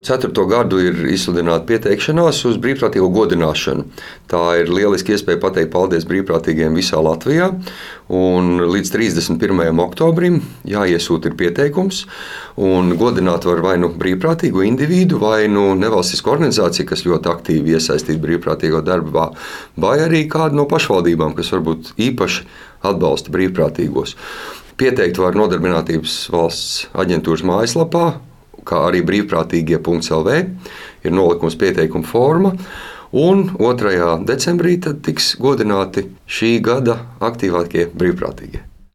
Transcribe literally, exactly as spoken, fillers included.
ceturto gadu ir izsludināta pieteikšanās uz brīvprātīgo godināšanu. Tā ir lieliski iespēja pateikt paldies brīvprātīgiem visā Latvijā. Un līdz trīsdesmit pirmajam oktobrim jāiesūta ir pieteikums. Un godināt var vai nu brīvprātīgu individu, vai nu nevalstisku organizāciju, kas ļoti aktīvi iesaistīta brīvprātīgo darbā, vai arī kādu no pašvaldībām, kas varbūt īpaši atbalsta brīvprātīgos. Pieteikt var Nodarbinātības valsts aģentūras mājaslapā, kā arī brīvprātīgie punkts el vē, ir nolikums pieteikuma forma, un otrajā decembrī tad tiks godināti šī gada aktīvākie brīvprātīgie.